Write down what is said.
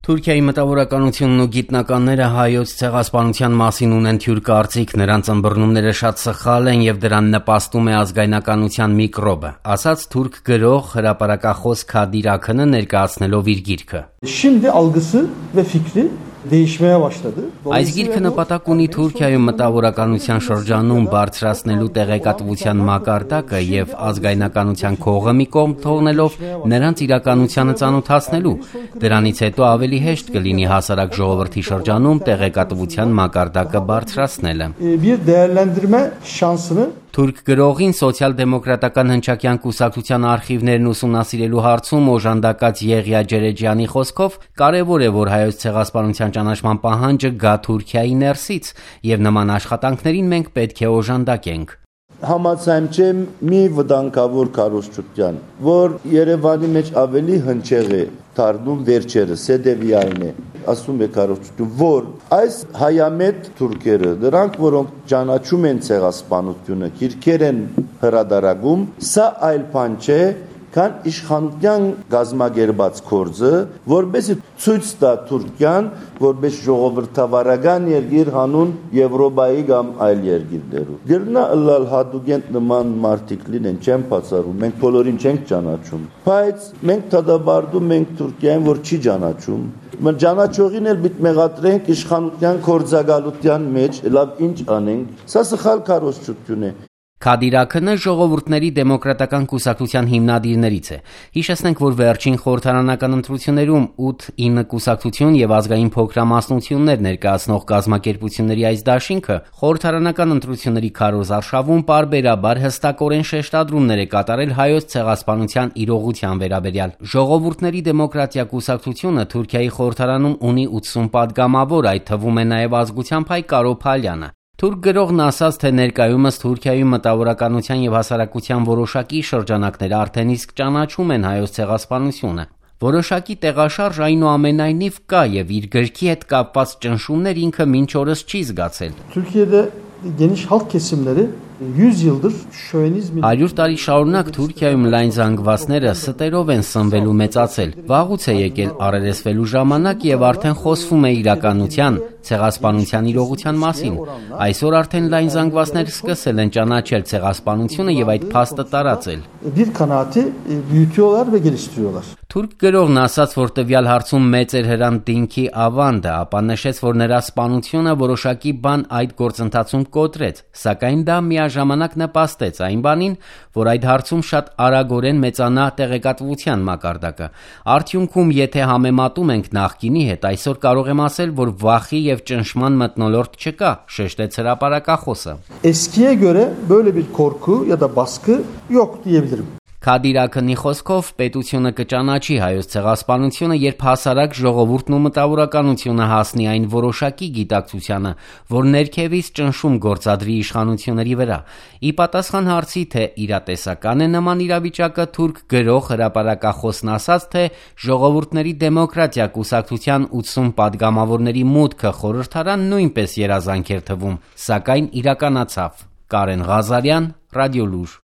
Թուրքիայի մտավորականությունն ու գիտնականները հայոց ցեղասպանության մասին ունեն թյուր կարծիք, նրանց ըմբռնումները շատ սխալ են եւ դրան նպաստում է ազգայնականության միկրոբը, ասաց թուրք գրող, հրապարակախոս Kadir Akın'ը ներկայացնելով իր գիրքը։ Şimdi algısı ve fikri değişmeye başladı. Այս գիրքը նպատակ ունի Թուրքիայում մտավորականության շրջանում բարձրացնելու տեղեկատվության մակարդակը եւ ազգայնականության քողը մի կողմ թողնելով նրանց իրականությանը ծանոթացնելու։ Դրանից հետո ավելի հեշտ կլինի հասարակ ժողովրդի շրջանում տեղեկատվության մակարդակը բարձրացնելը։ Bir değerlendirme şansını Թուրք գրողին սոցիալ-դեմոկրատական հնչակյան կուսակցության արխիվներն ուսումնասիրելու հարցում օժանդակած Եղիա Ջերեջյանի խոսքով կարևոր է, որ հայոց ցեղասպանության ճանաչման պահանջը գա Թուրքիայի ներսից եւ նման աշխատանքներին մենք պետք է օժանդակենք։ Համաձայնեմ մի վտանգավոր կառուցվածության, որ Երևանի մեջ ավելի հնչեղ է դառնում վերջերս, սեդևիային է, ասում է կառուցվածություն, որ այս հայամետ թուրքերը, դրանք որոնք ճանաչում են ցեղասպանությունը, քիրքեր են հրադարագում, սա այլ բան չէ, քան իշխանության գազագերբած գործը, որբեսի ցույց տա Թուրքիան, որբես ժողովրդավարական երկիր հանուն Եվրոպայի կամ այլ երկիրներու։ Դեռնա ըլլալ հադուգենտ նման մարտիկ լինեն, չեմ բացառում, մենք բոլորին չենք ճանաչում, բայց մենք դադարում ենք Թուրքիային, որ չի ճանաչում։ Մենք ճանաչողին էլ պիտի մեղադրենք իշխանության կորձագալության մեջ, լավ ինչ անենք։ Սա սխալ կառուցվածություն է։ Kadir Akın'ը ժողովուրդների դեմոկրատական կուսակցության հիմնադիրներից է։ Հիշեցնենք, որ վերջին խորհրդարանական ընտրություններում 8-9 կուսակցություն եւ ազգային փոքրամասնություններ ներկայացնող կազմակերպությունների այս դաշինքը խորհրդարանական ընտրությունների քարոզարշավում պարբերաբար հստակորեն շեշտադրումներ է կատարել հայոց ցեղասպանության իրողության վերաբերյալ։ Ժողովուրդների դեմոկրատիա կուսակցությունը Թուրքիայի խորհրդարանում ունի 80 падգամավոր, այդ թվում է նաեւ ազգությամբ հայ Կարո Փալյանը։ Թուրք գրողն ասաց, թե ներկայումս Թուրքիայում մտավորականության եւ հասարակության որոշակի շրջանակներ արդեն իսկ ճանաչում են հայոց ցեղասպանությունը։ Որոշակի տեղաշարժ այնուամենայնիվ կա եւ իր գրքի հետ կապված ճնշումներ ինքը մինչ օրս չի զգացել։ Türkiye'de geniş halk kesimleri 100 yıldır şövenizmin 100 տարի շարունակ Թուրքիայում լայն զանգվածները ստերով են սնվելու մեծացել։ Վաղուց է եկել առերեսվելու ժամանակ եւ արդեն խոսվում է իրականության, ցեղասպանության իրողության մասին։ Այսօր արդեն լայն զանգվածներ սկսել են ճանաչել ցեղասպանությունը եւ այդ փաստը տարածել։ bir kanaati büyütüyorlar ve geliştiriyorlar. Թուրք գրողն ասաց, որ տվյալ հարցում մեծ էր Հրանտ Դինքի ավանդը, ապա նշեց, որ նրա սպանությունը որոշակի բան այդ գործընթացում կոտրեց, սակայն դա միաժամանակ նպաստեց այն բանին, որ այդ հարցում շատ արագորեն մեծանա տեղեկատվության մակարդակը։ Արդյունքում, եթե համեմատում ենք նախկինի հետ, այսօր կարող եմ ասել, որ վախի եւ ճնշման մթնոլորտ չկա, շեշտեց հրապարակախոսը։ Eskiye göre böyle bir korku ya da baskı yok diyebilirim. Kadir Akın'ի խոսքով պետությունը կճանաչի հայոց ցեղասպանությունը, երբ հասարակ ժողովուրդն ու մտավորականությունը հասնի այն որոշակի գիտակցությանը, որ ներքևից ճնշում գործադրի իշխանությունների վրա։ Ի պատասխան հարցի, թե իրատեսական է նման իրավիճակը, թուրք գրող հրապարակախոսն ասաց, թե ժողովուրդների դեմոկրատիա կուսակցության 80 падգամավորների մուտքը խորհրդարան նույնպես երազանք էր թվում, սակայն իրականացավ։ Կարեն Ղազարյան, Ռադիոլուր։